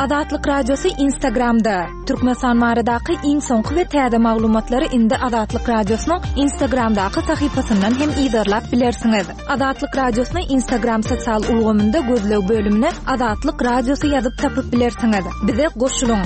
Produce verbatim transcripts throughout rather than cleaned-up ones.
Azatlyk Radiosy Instagramda. Türkmenistan baradaky iň soňky we täze maglumatlary indi Azatlyk Radiosynyň Instagramdaky sahypasyndan hem yzarlap bilersiňiz. Azatlyk Radiosyny Instagram sosial ulgamynda gözleg bölümine Azatlyk Radiosy ýazyp tapyp bilersiňiz. Bize goşulyň.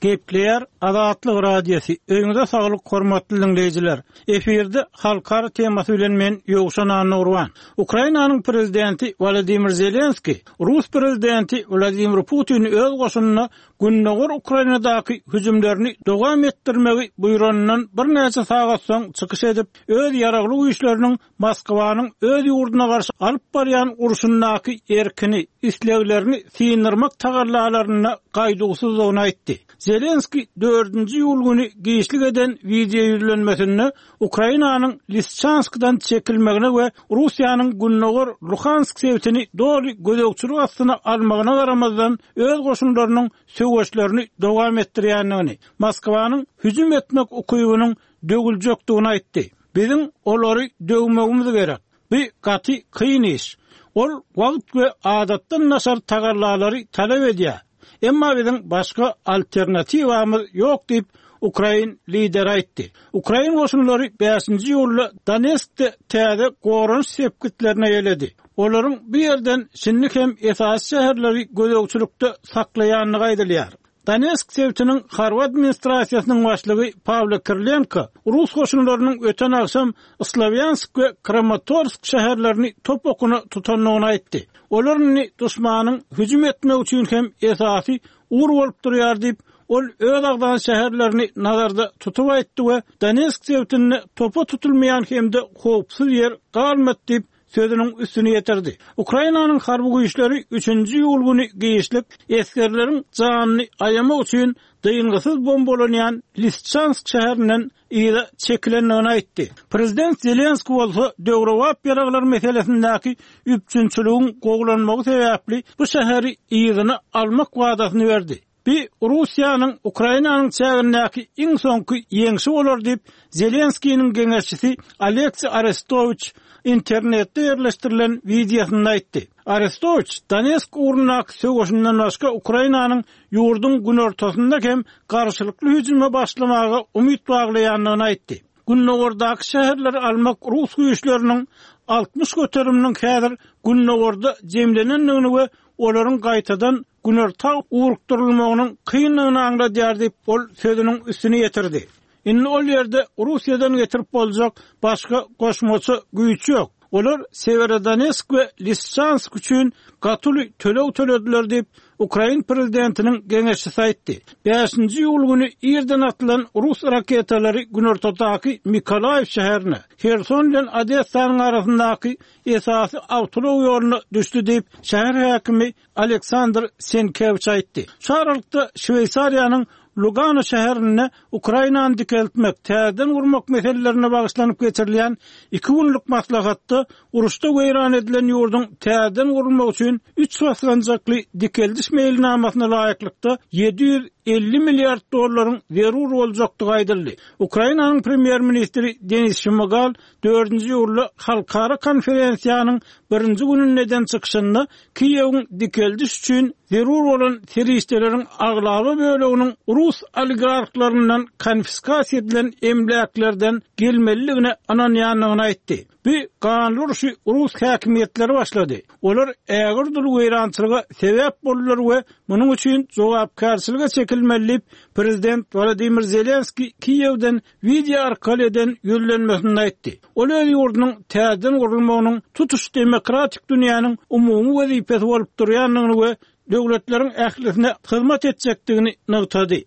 Gepleýär Azatlyk Radiosy. Öýüňize saglyk hormatly diňleýjiler. Efirde halkara temasy bilen men Ýowşan Annurwan. Ukrainanyň prezidenti Wladimir Zelenski Rus prezidenti Wladimir Putin öz goşunyna Gündogar Ukrainadaky hüjümlerini dowam etdirmegi buýranyndan birnäçe sagat soň çykyş edip, öz ýaragly güýçleriniň Moskwanyň öz ýurduna garşy alyp barýan urşundaky erkini, isleglerini synyrmak tagallalaryna gaýduwsyzlygyny aýtdy. Zelenski dördünji ýul güni giçlik eden wideo ýüzlenmesinde Ukrainanyň Lisçanskdan çekilmegine we Russiýanyň Gündogar Luhansk sebitini doly gözegçilik astyna almagyna garamazdan öz goşunlarynyň söweşlerini dowam etdirýändigini, Moskwanyň hüjüm etmek ukybynyň döwüljekdigini aýtdy. Biziň olary döwmegimiz gerek. Bu gaty kyn iş. Ol wagt we adatdan daşary tagallalary talap edýär. Emma biziň başga alternatiwamyz ýok diýip Ukrain lideri aýtdy. Ukrain goşunlary bäşinji ýulda Donetskde täze goranyş sepgitlerine ýeledi. Olaryň bu ýerden şindi hem esasy şäherleri gözegçilikde saklaýandygy aýdylýar. Donetsk sebitiniň harby administrasiýasynyň başlygy Pawlo Kirlenko Rus goşunlarynyň öten agşam Slavyansk we Kramatorsk şäherlerini top okuna tutandygyny aýtdy. Olar indi duşmanyň hüjüm etmek üçin hem esasy ugur bolup durýar diýip, ol öz agzan şäherlerini nazarda tutup aýtdy we Donetsk sebitinde topa tutulmaýan hem-de howpsuz ýer galmady diýip sözüniň üstüni ýetirdi. Ukrainanyň harby güýçleri üçünji ýul güni giçlik esgerleriň janyny aýamak üçin dyngysyz bombalanýan Lisçansk şäherinden yza çekilendigini aýtdy. Prezident Zelenski bolsa döwrebap ýaraglar meselesindäki üpjünçiligiň gowulanmagy sebäpli bu şäheri yzyna almak wadasyny berdi. Bir Russiýanyň Ukrainanyň çägindäki iň soňky ýeňşi bolar diýip Zelenskiniň geňeşçisi Aleksiý Arestowiç internetde ýerleşdirilen wideosynda aýtdy. Arestowiç Donetsk ugrundaky söweşinden başga Ukrainanyň ýurduň günortasynda hem garşylykly hüjüme başlamaga umyt baglaýandygyny aýtdy. Gündogardaky şäherleri almak Rus güýçleriniň altmyş göteriminiň häzir Gündogarda jemlenendigini we olaryň gaýtadan günorta ugrukdyrylmagynyň kyndygyny aňladýar diýip ol sözüniň üstüni ýetirdi. Indi ol ýerde Russiýadan getirip boljak başga goşmaça güýç ýok. Olar Severodonetsk we Lisçansk üçin gatyly töleg tölediler diýip Ukrain prezidentiniň geňeşçisi aýtdy. Bäşinji ýul güni irden atylan Rus raketalary günortadaky Mikolaýew şäherine, Herson bilen Odessanyň arasyndaky esasy awtoulag ýoluna düşdi diýip şäher häkimi Aleksandr Senkewiç aýtdy. Şu aralykda Şweýsariýanyň Lugano şäherinde Ukrainany dikeltmek, täzeden gurmak meselelerine bagyşlanyp geçirilýän iki günlük maslahatda uruşda weýran edilen ýurduň täzeden gurulmagy üçin üç basgançakly dikeldiş meýilnamasyna laýyklykda ýedi ýüz elli milliard dollaryň zerur boljakdygy aýdyldy. Ukrainanyň premýer-ministri Denis Şmygal dördünji ýulda halkara konferensiýanyň birinji gününde eden çykyşynda Kiýewiň dikeldiş üçin zerur bolan serişdeleriň aglaba böleginiň Rus oligarklaryndan konfiskasiýa edilen emläklerden gelmelidigine ynanýandygyny aýtdy. Bu ganly urşy Rus häkimiýetleri başlady. Olar ägir dul weýrançylyga sebäp boldular we munuň üçin jogapkärçilige çekilmeli diýip prezident Wladimir Zelenski Kiýewden wideo arkaly eden ýüzlenmesinde aýtdy. Ol öz ýurdunyň täzeden gurulmagynyň tutuş demokratik dünýäniň umumy wezipesi bolup durýandygyny we döwletleriň ählisine hyzmat etjekdigini nygtady.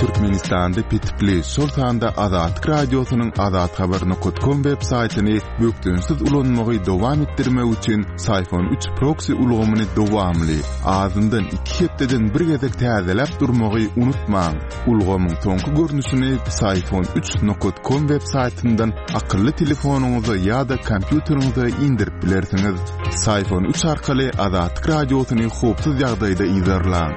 Türkmenistanda petikli, şol sanda Azatlyk Radiosynyň azathabar nokta com web saýtyny bökdençsiz ulanmagy dowam etdirmek üçin Syfon üç proxy ulgamyny dowamly, azyndan iki hepdeden bir gezek täzeläp durmagy unutmaň. Ulgamyň soňky görnüşini Syfon üç nokta com web saýtyndan akylly telefonyňyza ýa-da kompýuteriňize indirip bilersiňiz. Syfon üç arkaly Azatlyk Radiosyny howpsuz ýagdaýda yzarlaň.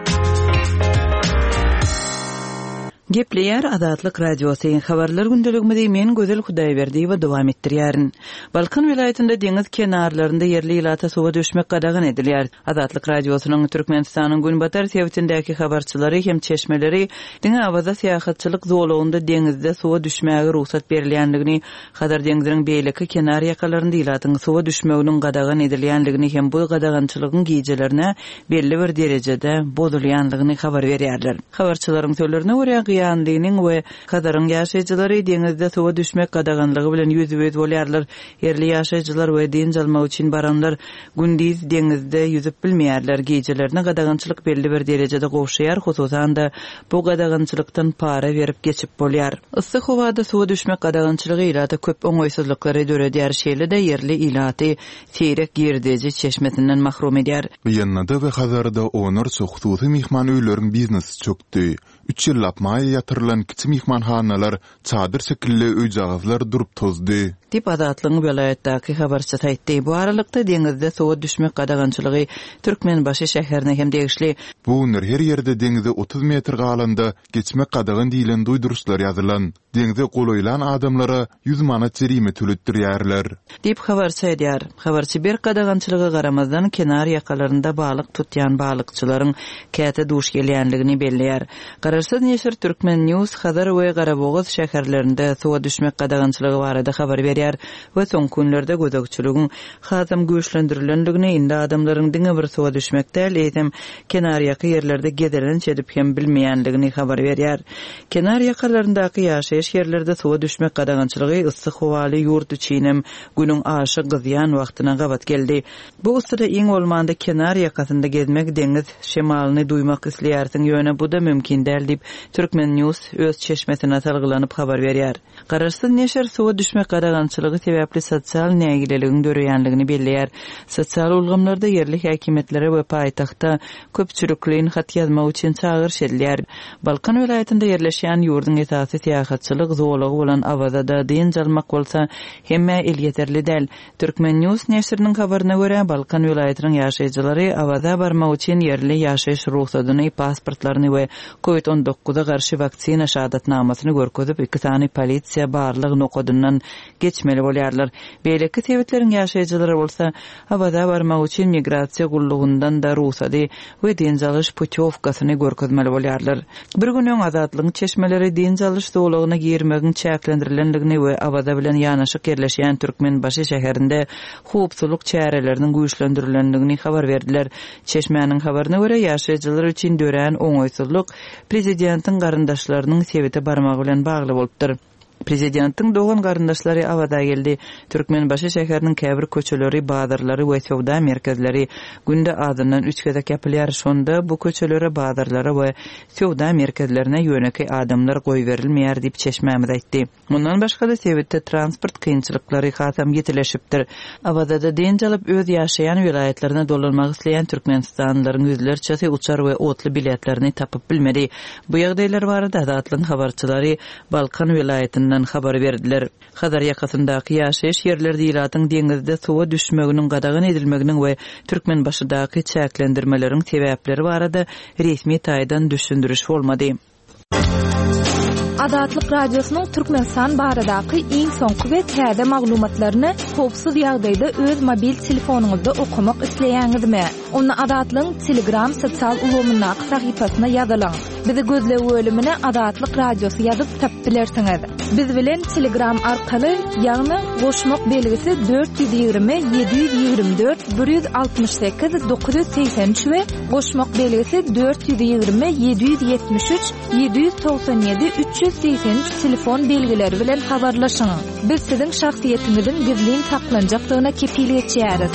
Gepleýär Azatlyk Radiosy. Habarlar gündeligimizi men Gözel Hudaýberdiýewa dowam etdirýärin. Balkan welaýatynda deňiz kenarlarynda ýerli ilata suwa düşmek gadagan edilýär. Azatlyk Radiosynyň Türkmenistanyň Günbatar sebitindäki habarçylary hem çeşmeleri diňe Awaza syýahatçylyk zolagynda deňizde suwa düşmäge rugsat berilýändigini, Hazar deňziniň beýleki kenar ýakalarynda ilatyň suwa düşmeginiň gadagan edilýändigini hem bu gadagançylygyň gijelerine belli bir derejede bozulýandygyny habar berýärler. Habarçylaryň sözlerine görä, Gyýanlynyň we Hazaryň ýaşaýjylary deňizde suwa düşmek gadaganlygy bilen ýüzbe-ýüz bolýarlar. Ýerli ýaşaýjylar we dynç almak üçin baranlar gündiz deňizde ýüzüp bilmeýärler. Gijelerine gadagançylyk belli bir derejede gowşaýar, hususan-da bu gadagançylykdan para berip geçip bolýar. Yssy howada suwa düşmek gadagançylygy ilata köp oňaýsyzlyklary döredýär, şeýle-de ýerli ilaty seýrek girdeji çeşmesinden mahrum edýär. Gyýanlyda we Hazarda onlarça hususy myhman öýleriň biznesi çökdi. Üç ýyllap maýa ýatyrylan kiçi myhmanhanalar, çadyr şekilli öýjagazlar durup tozdy. Diýip, Azatlygyň welaýatdaky habarçysy aýtdy. Bu aralykda, deňizde suwa düşmek gadagançylygy Türkmenbaşy şäherine hem degişli. Bu günler her ýerde deňize otuz metr galanda geçmek gadagan diýlen duýduryşlar ýazylan. Deňze golaýlan adamlara ýüz manat jerime töletdirýärler. Diýip, habarçy aýdýar. Habarçy berk gadagançylyga garamazdan, kenar ýakalarynda balyk tutýan balykçylaryň käte duş gelýändigini belleýär. Garaşsyz neşir Turkmen News Hazar we Garabogaz şäherlerinde suwa düşmek gadagançylygy barada habar berýär we soňky günlerde gözegçiligiň hasam güýçlendirilendigini, indi adamlaryň diňe bir suwa düşmek däl, eýsem kenarýaka ýerlerde gezelenç edip hem bilmeýändigini habar berýär. Kenar ýakalaryndaky ýaşaýyş ýerlerde suwa düşmek gadagançylygy yssy howaly ýurt üçinem günüň aşa gyzýan wagtyna gabat geldi. Bu yssyda iň bolmanda kenar ýakasynda gezmek, deňiz şemalyny duýmak isleýärsiň, ýöne bu-da mümkin däl diýip, Turkmen News öz çeşmesine salgylanyp habar berýär. Garaşsyz neşir suwa düşmek gadagançylygy sebäpli sosial nägileligiň döreýändigini belleýär. Sosial ulgamlarda ýerli häkimiýetlere we paýtagta köpçülikleýin hat ýazmak üçin çagyryş edilýär. Balkan welaýatynda ýerleşýän ýurduň esasy syýahatçylyk zolagy bolan Awazada dynç almak bolsa hemmä elýeterli däl. Turkmen News neşiriniň habaryna görä, Balkan welaýatynyň ýaşaýjylary Awaza barmak üçin ýerli ýaşaýyş rugsadyny, pasportlaryny we Covid on dokuza garşy waksina şahadatnamasyny görkezip, iki sany polisiýa barlyk nokadyndan geçmeli bolýarlar. Beýleki sebetleriň ýaşaýjylary bolsa Awaza barmak üçin migrasiýa gullugyndan da rugsady we dynç alyş putýowkasyny görkezmeli bolýarlar. Bir gün öň Azatlygyň çeşmeleri dynç alyş zolagyna girmegiň çäklendirilendigini we Awaza bilen ýanaşyk ýerleşýän Türkmenbaşy şäherinde howpsuzlyk çäreleriniň güýçlendirilendigini habar berdiler. Çeşmäniň habaryna görä, ýaşaýjylar üçin dörän oňaýsyzlyk prezidentiň garyndaşlarynyň sebite barmagy bilen bagly bolupdyr. Prezidentiň dogan garyndaşlary Awaza geldi. Türkmenbaşy şäheriniň käbir köçeleri, bazarlary we söwda merkezleri günde azyndan üç gezek ýapylýar. Şonda bu köçelere, bazarlara we söwda merkezlerine ýönekeý adamlar goýberilmeýär diýip çeşmämiz aýtdy. Mundan başga-da sebitde transport kynçylyklary hasam ýetileşipdir. Awazada dynç alyp öz ýaşaýan welaýatlaryna dolanmak isleýän Türkmenistanlylaryň ýüzlerçesi uçar we otly biletlerini tapyp bilmedi. Bu ýagdaýlar barada Azatlygyň habarçylary Balkan welaýatyndan habar berdiler. Hazar ýakasyndaky ýaşaýyş ýerlerde ilatyň deňizde suwa düşmeginiň gadagan edilmeginiň we Türkmenbaşydaky çäklendirmeleriň sebäpleri barada resmi taýdan düşündiriş bolmady. Azatlyk Radiosynyň Türkmenistan baradaky iň soňky we täze maglumatlaryny howpsuz ýagdaýda öz mobil telefonyňyzda okamak isleýäňizmi? Onda Azatlygyň Telegram sosial ulgamyndaky sahypasyna ýazylyň. Bizi gözleg bölümine Azatlyk Radiosy ýazyp tapyp bilersiňiz. Biz bilen Telegram arkaly, ýagny goşmak belgisi dört ýüz ýigrimi ýedi ýüz ýigrimi dört bir ýüz altmyş sekiz dokuz ýüz segsen üç we goşmak belgisi dört ýüz ýigrimi ýedi ýüz ýetmiş üç ýedi ýüz togsan ýedi üç ýüz segsen üç telefon belgileri bilen habarlaşyň. Biz siziň şahsyýetiňiziň gizlin saklanjakdygyna kepil geçýäris.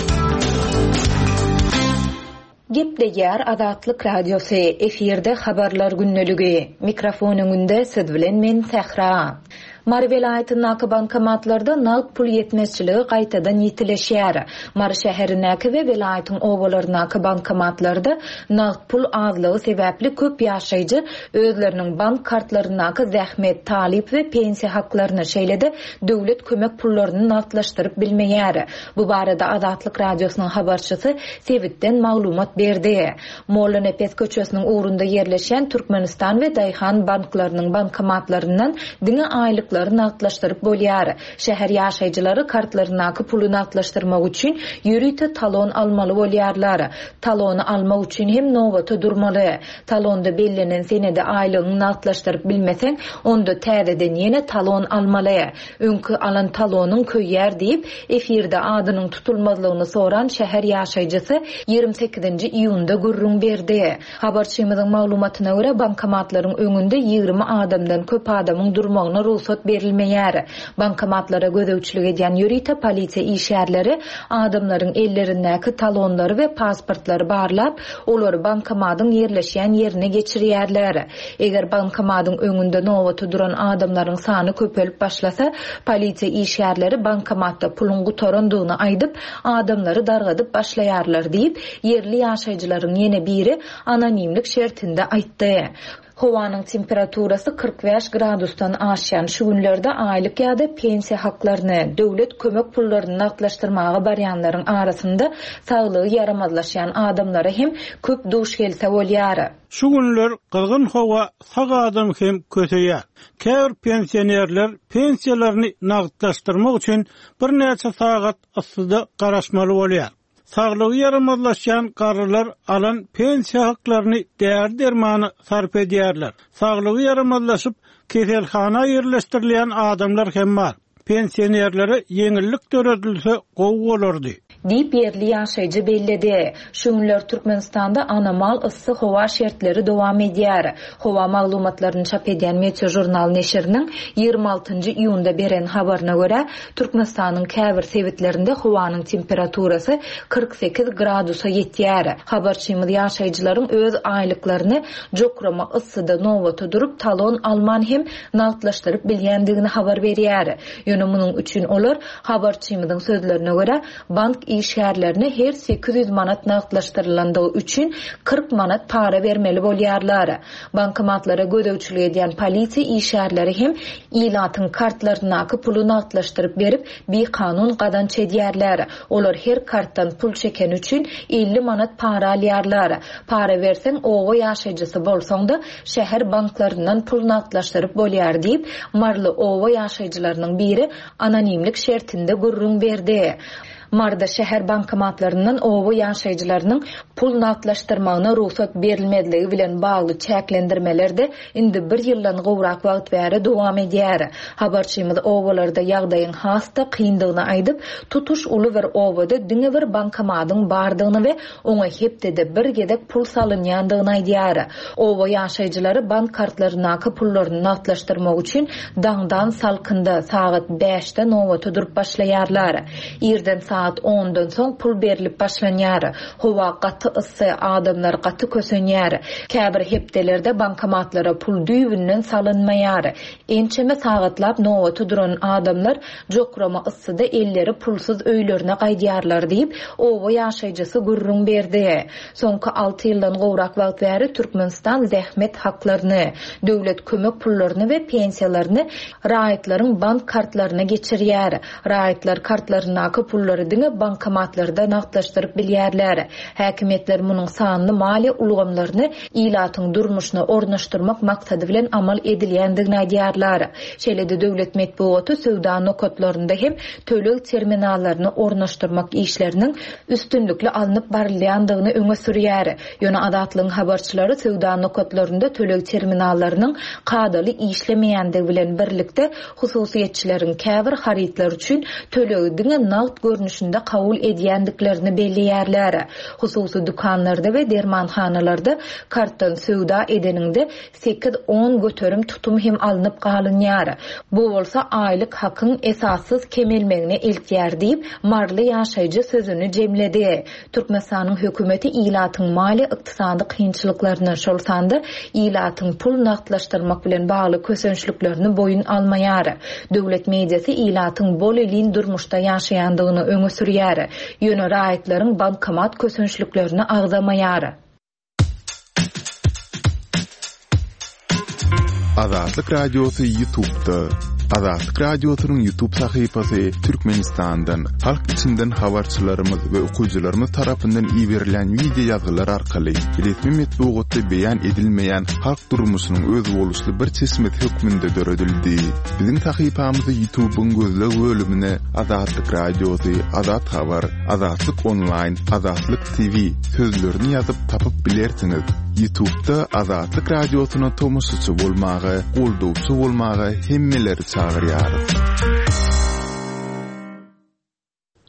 Gepleýär Azatlyk Radiosy, efirde habarlar gündeligi. Mikrofon öňünde siz bilen men Sähra. Mary welaýatyndaky bankomatlarda nagt pul ýetmezçiligi gaýtadan ýitileşýär. Mary şäherindäki we welaýatyň obalaryndaky bankomatlarda nagt pul azlygy sebäpli köp ýaşaýjy özleriniň bank kartlaryndaky zähmet, talyp we pensiýa haklaryny, şeýle-de döwlet kömek pullaryny nagtlaşdyryp bilmeýär. Bu barada Azatlyk Radiosynyň habarçysy sebitden maglumat berdi. Mollanepes köçesiniň ugrunda ýerleşýän Türkmenistan we Daýhan banklarynyň bankomatlaryndan diňe aýlyklary nagtlaşdyryp bolýar. Şäher ýaşaýjylary kartlaryndaky puly nagtlaşdyrmak üçin ýörite talon almaly bolýarlar. Talony almak üçin hem nobata durmaly. Talonda bellenen senede aýlygyňy nagtlaşdyryp bilmeseň, onda täzeden ýene talon almaly. Öňki alan talonyň köýýär diýip, efirde adynyň tutulmazlygyny soran şäher ýaşaýjysy ýigrimi sekizinji iýunda gürrüň berdi. Habarçymyzyň maglumatyna görä, bankomatlaryň öňünde ýigrimi adamdan köp adamyň durmagyna rugsat berilmeýär. Bankomatlara gözegçilik edýän ýörite polisiýa işgärleri adamlaryň ellerindäki talonlary we pasportlary barlap, olary bankomatyň ýerleşýän ýerine geçirýärler. Eger bankomatyň öňünde nobata duran adamlaryň sany köpelip başlasa, polisiýa işgärleri bankomatda puluň gutarandygyny aýdyp, adamlary dargadyp başlaýarlar diýip, ýerli ýaşaýjylaryň ýene biri anonimlik şertinde aýtdy. Howanyň temperaturasy kyrk bäş gradusdan aşýan şu günlerde aýlyk ýa-da pensiýa haklaryny, döwlet kömek pullaryny nagtlaşdyrmaga barýanlaryň arasynda saglygy ýaramazlaşýan adamlara hem köp duş gelse bolýar. Şu günler gyzgyn howa sag adam hem köseýär. Käbir pensionerler pensiýalaryny nagtlaşdyrmak üçin birnäçe sagat yssyda garaşmaly bolýar. Saglygy ýaramazlaşýan garrylar alan pensiýa haklaryny däri-dermana sarp edýärler. Saglygy ýaramazlaşyp, keselhana ýerleşdirilýän adamlar hem bar. Pensionerlere ýeňillik döredilse gowy bolardy. Diýip ýerli ýaşaýjy belledi. Şu günler Türkmenistanda anomal yssy howa şertleri dowam edýär. Howa maglumatlaryny çap edýän Meteo Jurnal neşiriniň ýigrimi altynjy iýunda beren habaryna görä, Türkmenistanyň käbir sebitlerinde howanyň temperaturasy kyrk sekiz gradusa ýetýär. Habarçymyz ýaşaýjylaryň öz aýlyklaryny jokrama yssyda nobata durup talon alman hem nagtlaşdyryp bilýändigini habar berýär. Ýöne munuň üçin olar habarçymyzyň sözlerine görä bank işgärlerine her sekiz ýüz manat nagtlaşdyrylandygy üçin kyrk manat para bermeli bolýarlar. Bankomatlara gözegçilik edýän polisiýa işgärleri hem ilatyň kartlaryndaky puly nagtlaşdyryp berip, bikanun gazanç edýärler. Olar her kartdan pul çeken üçin elli manat para alýarlar. Para berseň oba ýaşaýjysy bolsaň da şäher banklaryndan pul nagtlaşdyryp bolýar diýip, Marly oba ýaşaýjylarynyň biri anonimlik şertinde gürrüň berdi. Marda şäher bankomatlaryndan oba ýaşaýjylarynyň pul nagtlaşdyrmagyna rugsat berilmezligi bilen bagly çäklendirmeler de indi bir ýyldan gowrak wagt bäri dowam edýär. Habarçymyz obalarda ýagdaýyň has-da kyndygyny aýdyp, tutuş uly bir obada diňe bir bankomatyň bardygyny we oňa hepdede bir gezek pul salynýandygyny aýdýar. Oba ýaşaýjylary bank kartlaryndaky pullaryny nagtlaşdyrmak üçin daňdan salkynda sagat bäşde nobata durup başlaýarlar. Irden saat ondan soň pul berilip başlanýar. Howa gaty yssy, adamlar gaty kösenýär. Käbir hepdelerde bankomatlara pul düýbünden salynmaýar. Ençeme sagatlap nobata duran adamlar jokrama yssyda elleri pulsuz öýlerine gaýdýarlar diýip, oba ýaşaýjysy gürrüň berdi. Soňky alty ýyldan gowrak wagt bäri Türkmenistan zähmet haklaryny, döwlet kömek pullaryny we pensiýalaryny raýatlaryň bank kartlaryna geçirýär. Raýatlar kartlaryndaky pullary diňe bankomatlarda nagtlaşdyryp bilýärler. Häkimiýetler munuň sanly maliýe ulgamlaryny ilatyň durmuşyna ornaşdyrmak maksady bilen amal edilýändigini aýdýarlar. Şeýle-de döwlet metbugaty söwda nokatlarynda hem töleg terminallaryny ornaşdyrmak işleriniň üstünlikli alnyp barylýandygyny öňe sürýär. Ýöne Azatlygyň habarçylary söwda nokatlarynda töleg terminallarynyň kadaly işlemeýändigi bilen birlikde hususyýetçileriň käbir harytlar üçin tölegi diňe nagt görnüşinde görnüşinde kabul edýändiklerini belleýärler. Hususy dükanlarda we dermanhanalarda kartdan söwda edeniňde sekiz-on göterim tutum hem alnyp galynýar. Bu bolsa aýlyk hakyň esassyz kemelmegine eltýär diýip, Marly ýaşaýjy sözüni jemledi. Türkmenistanyň hökümeti ilatyň maliýe ykdysady kynçylyklaryny, şol sanda ilatyň pul nagtlaşdyrmak bilen bagly kösençliklerini boýun almaýar. Döwlet mediasy ilatyň bol-elin durmuşda ýaşaýandygyny öňe sürýär. Ýöne raýatlaryň bankomat kösençliklerini agzamaýar. Azatlyk Radiosy YouTube'da. Azatlyk Radiosynyň YouTube sahypasy Türkmenistandan, halk içinden habarçylarymyz we okyjylarymyz tarapyndan iberilen wideo ýazgylar arkaly resmi metbugatda beýan edilmeýän halk durmuşynyň özboluşly bir çeşmesi hökmünde döredildi. Biziň sahypamyzy YouTube'yň gözleg bölümine Azatlyk Radiosy, Azat Habar, Azatlyk Online, Azatlyk T V sözlerini ýazyp tapyp bilersiňiz. YouTube'da Azatlyk Radiosyna tomaşaçy bolmaga, goldawçy bolmaga hemmeleri çagyrýarys.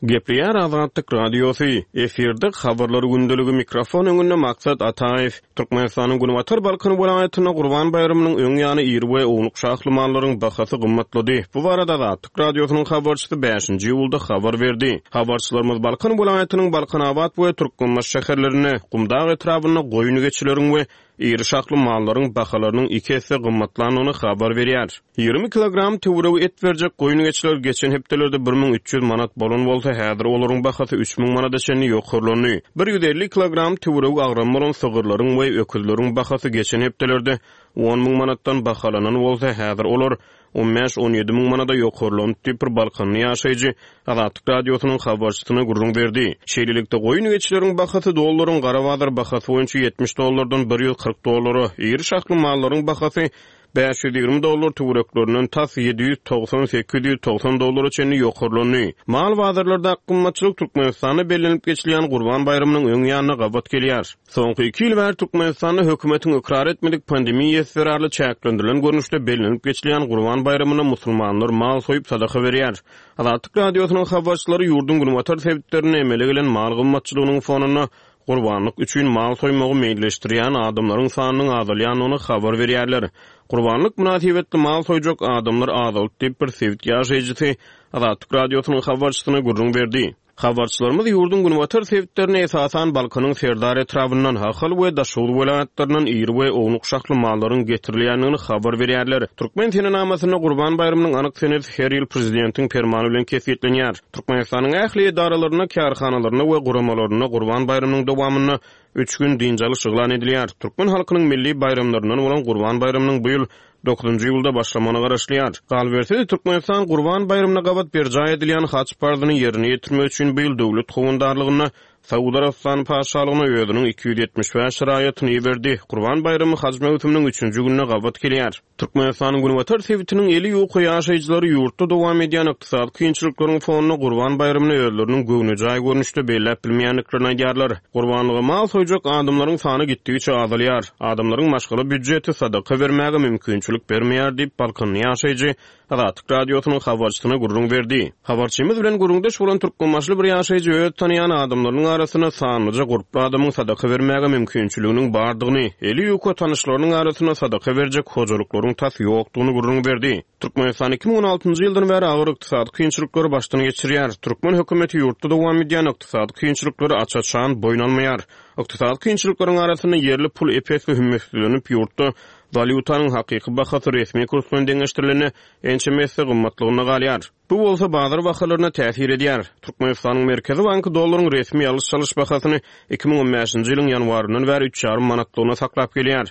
Gepleýär Azatlyk Radiosy. Efirde habarlar gündeligi mikrofon öňünde Maksat Ataýew. Türkmenistanyň Günbatar Balkan welaýatynda Gurban baýramynyň öň ýany iri we ownuk şahly mallaryň bahasy gymmatlady. Bu barada Azatlyk Radiosynyň habarçysy bäşinji iýulda habar berdi. Habarçylarymyz Balkan welaýatynyň Balkanabat we Türkmenbaşy şäherlerinde, Gumdag etrabynda goýun geçileriň we iri şahly mallaryň bahalarynyň iki esse gymmatlandygyny habar berýär. Ýigrimi kilogram töweregi et berjek goýun geçiler geçen hepdelerde bir müň üç ýüz manat bolan bolsa, häzir olaryň bahasy üç müň manada çenli ýokarlandy. Bir ýüz elli kilogram töweregi agram bolan sygyrlaryň we öküzleriň bahasy geçen hepdelerde on müň manatdan bahalanan bolsa, häzir olar on bäş-on ýedi müň manada ýokarlandy diýip bir Balkanly ýaşaýjy Azatlyk Radiosynyň habarçysyna gürrüň berdi. Şeýlelikde goýun geçileriň bahasy dollaryň gara bazar bahasy boýunça ýetmiş dollardan bir ýüz kyrk dollara, iri şahly mallaryň bahasy bäş ýüz ýigrimi dollar töwereklerinden tas ýedi ýüz togsan sekiz ýüz togsan dollara çenli ýokarlandy. Mal bazarlarda gymmatçylyk Türkmenistanda bellenip geçilýän Gurban baýramynyň öň ýanyna gabat gelýär. Soňky iki ýyl bäri Türkmenistanda hökümetiň ykrar etmedik pandemiýa zerarly çäklendirilen görnüşde bellenip geçilýän Gurban baýramyna musulmanlar mal soýup sadaka berýär. Azatlyk Radiosynyň habarçylary ýurduň günbatar sebitlerinde emele gelen mal gymmatçylygynyň fonunda gurbanlyk üçin mal soýmagy meýilleşdirýän adamlaryň sanynyň azalýandygyny habar berýärler. Gurbanlyk mynasybetli mal soýjak adamlar azaldy diýip bir sebit ýaşaýjysy Azatlyk Radiosynyň habarçysyna gürrüň berdi. Habarçylarymyz ýurduň günbatar sebitlerine esasan Balkanyň Serdar etrabyndan, Ahal we Daşoguz welaýatlaryndan iri we ownuk şahly mallaryň getirilýändigini habar berýärler. Türkmen senenamasynda Gurban baýramynyň anyk senesi her ýyl prezidentiň permany bilen kesgitlenýär. Türkmenistanyň ähli edaralarynda, kärhanalarynda we guramalarynda Gurban baýramynyň dowamynda üç gün dynç alyş yglan edilýär. Türkmen halkynyň milli baýramlaryndan bolan Gurban baýramynyň bu ýyl dokuzynjy iýulda başlamagyna garaşylýar. Galyberse-de Türkmenistan Gurban baýramyna gabat berjaý edilýän haç parzyny ýerine ýetirmek üçin bu ýyl döwlet howandarlygynda Saud Arabystany patyşalygyna özüniň iki ýüz ýetmiş bäş raýatyny iberdi. Gurban baýramy haç möwsüminiň üçünji gününe gabat gelýär. Türkmenistanyň günbatar sebitiniň eli ýuka ýaşaýjylary ýurtda dowam edýän ykdysady kynçylyklaryň fonunda Gurban baýramyny özleriniň göwnejaý görnüşde belläp bilmeýändiklerini aýdýarlar. Gurbanlyga mal soýjak adamlaryň sany gitdigiçe azalýar. Adamlaryň maşgala býudjeti sadaka bermäge mümkinçilik bermeýär diýip Balkanly ýaşaýjy Azatlyk Radiosynyň habarçysyna gürrüň berdi. Habarçymyz bilen gürrüňdeş bolan türkmenbaşly bir ýaşaýjy öz tanıyan adamlarynyň arasynda sanlyja gurply adamyň sadaka bermäge mümkinçiliginiň bardygyny, eli ýuka tanyşlarynyň arasynda sadaka berjek hojalyklaryň tas ýokdugyny gürrüň berdi. Türkmenistan iki müň on altynjy ýyldan bäri agyr ykdysady kynçylyklary başdan geçirýär. Türkmen hökümeti ýurtda dowam edýän ykdysady kynçylyklary aç-açan boýun almaýar. Ykdysady kynçylyklaryň arasynda ýerli pul epesli hümmetsizlenip, ýurtda walýutanyň hakyky bahasy resmi kurs bilen deňeşdirilende ençeme esse gymmatlygyna galýar. Bu bolsa bazar bahalaryna täsir edýär. Türkmenistanyň Merkezi banky dollaryň resmi alyş-çalyş bahasyny iki müň on bäşinji ýylyň ýanwaryndan bäri üç ýarym manatlygyna saklap gelýär.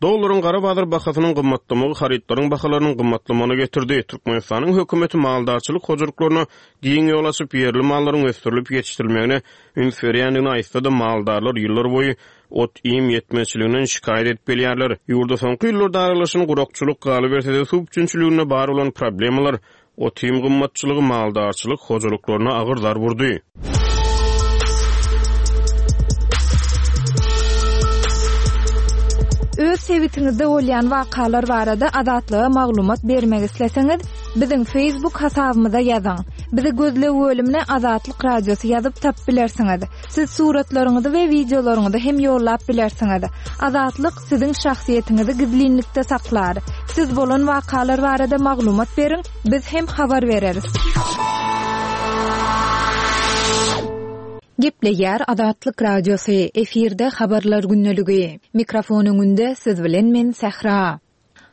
Dollaryň gara bazar bahasynyň gymmatlamagy harytlaryň bahalarynyň gymmatlamagyna getirdi. Türkmenistanyň hökümeti maldarçylyk hojalyklaryna giň ýol açyp, ýerli mallaryň ösdürilip ýetişdirilmegine üns berýändigini aýtsa-da, maldarlar ýyllar boýy ot-iým ýetmezçiliginden şikaýat edip gelýärler. Ýurda soňky ýyllarda aralaşan gurakçylyk, galyberse-de suw üpjünçiliginde bar bolan problemalar ot-iým gymmatçylygy maldarçylyk hojalyklaryna agyr zar vurdy. Öz sebitiňizde bolýan wakalar barada Azatlyga maglumat bermek isleseňiz, biziň Facebook hasabymyza ýazyň. Bizi gözleg bölümine Azatlyk Radiosy ýazyp tapyp bilersiňiz. Siz suratlaryňyzy we wideolaryňyzy hem ýollap bilersiňiz. Azatlyk siziň şahsyýetiňizi gizlinlikde saklar. Siz bolan wakalar barada maglumat beriň, biz hem habar bereris. Gepleýär Azatlyk Radiosy, efirde habarlar gündeligi. Mikrofon öňünde siz bilen men Sähra.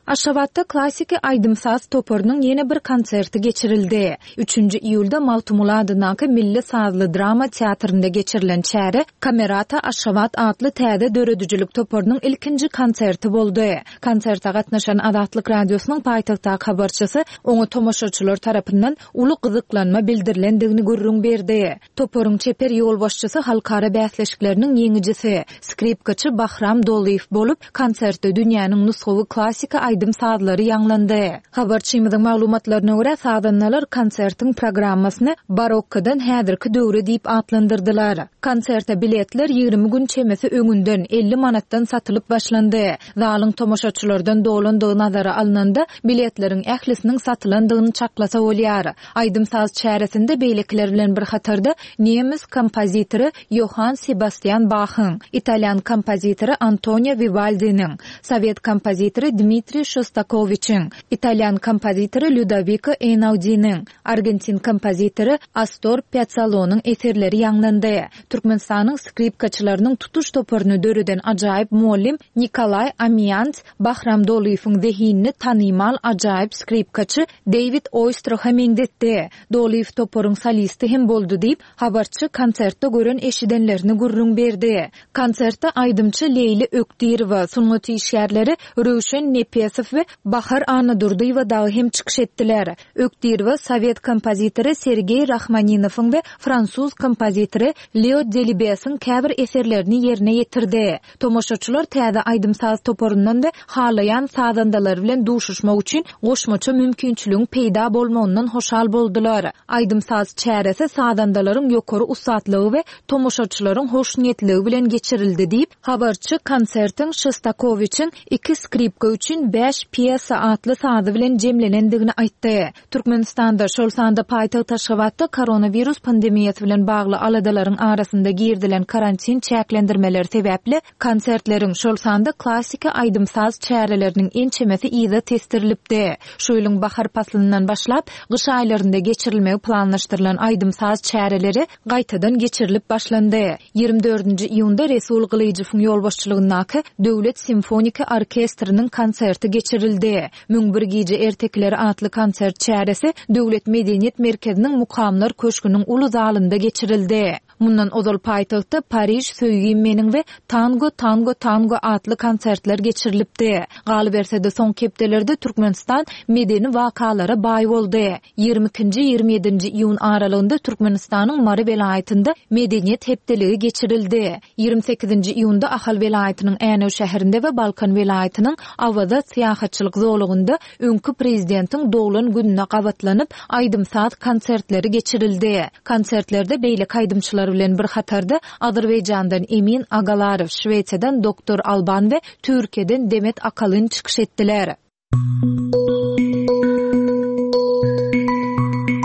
Aşgabatda klassiki aýdym-saz toparynyň ýene bir konserti geçirildi. Üçünji iýulda Magtymguly adyndaky Milli sazly drama teatrynda geçirilen çäre Kamerata Aşgabat atly täze döredijilik toparynyň ilkinji konserti boldy. Konserte gatnaşan Azatlyk Radiosynyň paýtagtdaky habarçysy oňa tomaşaçylar tarapyndan uly gyzyklanma bildirilendigini gürrüň berdi. Toparyň çeper ýolbaşçysy halkara bäsleşikleriniň ýeňijisi, skripkaçy Bahram Dolyýew bolup, konsertde dünýäniň nusgawy klassiki aýdym sazlary ýaňlandy. Habarçymyzyň maglumatlaryna görä, sazandalar konsertiň programmasyny barokkadan häzirki döwre diýip atlandyrdylar. Konserte biletler ýigrimi gün çemesi öňünden elli manatdan satylyp başlandy. Zalyň tomaşaçylardan dolandygy nazara alnanda biletleriň ählisiniň satylandygyny çaklasa bolýar. Aýdym saz çäresinde beýlekiler bilen bir hatarda nemes kompozitory Johann Sebastian Bach'yň, italyan kompozitory Antonio Vivaldi'niň, sowet kompozitory Dmitriý Şostakowiçiň, italyan kompozitory Ludovico Einaudiniň, argentin kompozitory Astor Piazzollo'nyň eserleri ýaňlandy. Türkmenistanyň skripkaçylarynyň tutuş toparyny döreden ajaýyp muallim Nikolay Amiýants Bahram Dolyýewiň zehinini tanymal ajaýyp skripkaçy David Oistraha meňzetdi. Dolyýew toparyň solisti hem boldy diýip, habarçy konsertde gören eşidenlerini gürrüň berdi. Konsertde aýdymçy Leýli Ökdirowa, sungat işgärleri Röwşen Nepesow we Bahar Annadurdyýewa dagy hem çykyş etdiler. Ökdirowa sowet kompozitory Sergey Rahmaninowyň we fransuz kompozitory Leo Delibesiň käbir eserlerini ýerine ýetirdi. Tomaşaçylar täze aýdym saz toparyndan we halaýan sazandalary bilen duşuşmak üçin goşmaça mümkinçiligiň peýda bolmagyndan hoşal boldular. Aýdym saz çäresi sazandalaryň ýokary ussatlygy we tomaşaçylaryň hoşniýetligi bilen geçirildi diýip, habarçy konsertiň Şostakowiçiň iki skripka üçin bäş pýesa atly sazy bilen jemlenendigini aýtdy. Türkmenistanda, şol sanda paýtagt Aşgabatda koronawirus pandemiýasy bilen bagly aladalaryň arasynda girdilen karantin çäklendirmeleri sebäpli konsertleriň, şol sanda klassiki aýdym saz çäreleriniň ençemesi yza testirilipdi. Şu ýylyň bahar paslyndan başlap, gyş aýlarynda geçirilmegi planlaşdyrylan aýdym saz çäreleri gaýtadan geçirilip başlandy. Ýigrimi dördünji iýunda Resul Gylyjowyň ýolbaşçylygyndaky Döwlet simfoniki orkestriniň konserti geçirildi. Müň bir gije ertekileri atly konsert çäresi Döwlet medeniýet merkeziniň Mukamlar köşgüniň uly zalynda geçirildi. Mundan ozal paýtagtda Pariž söýgim meniň we Tango Tango Tango atly konsertler geçirilipdi. Galyberse-de soňky hepdelerde Türkmenistan medeni wakalara baý boldy. Ýigrimi ikinji, ýigrimi ýedinji iýun aralygynda Türkmenistanyň Mary welaýatynda medeniýet hepdeligi geçirildi. Ýigrimi sekizinji iýunda Ahal welaýatynyň Änew şäherinde we Balkan welaýatynyň Awaza syýahatçylyk zolagynda öňki prezidentiň doglan gününe gabatlanyp aýdym-saz konsertleri geçirildi. Konsertlerde beýleki aýdymçylar bilen bir hatarda Azerbaýjandan Emin Agalarow, Şwesiýadan Doktor Alban we Türkiýeden Demet Akalyn çykyş etdiler.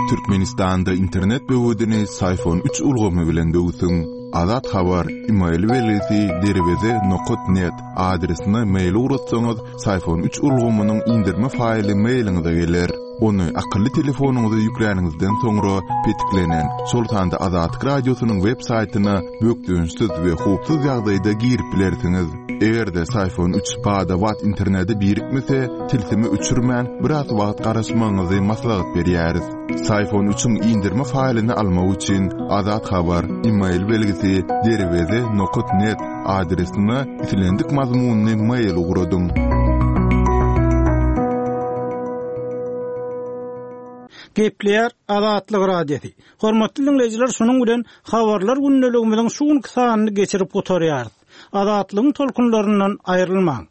Türkmenistanda internet böwedini Syfon üç ulgamy bilen böwsüň. Azat Habar, e-mail belgisi derweze nokat net adresine mail ugratsaňyz, Syfon üç ulgamynyň indirme faýly mailiňize geler. Ony akylly telefonyňyza ýükläniňizden soňra petiklenen, şol sanda Azatlyk Radiosynyň web saýtyna bökdençsiz we howpsuz ýagdaýda girip bilersiňiz. Eger-de Syfon üç bada-bat internete birikmese, tilsimi öçürmän biraz wagt garaşmagyňyzy maslahat berýäris. Syfon üçiň indirme faýlyny almak üçin Azat Habar, e-mail belgisi derweze nokat net adresine islendik mazmunyny mail ugradyň. Gepleýär Azatlyk Radiosy. Hormatly dinleýjiler, şunuň bilen habarlar gündeligimiziň şu günki sanyny geçirip gutarýarys. Azatlygyň tolkunlaryndan aýrylmaň.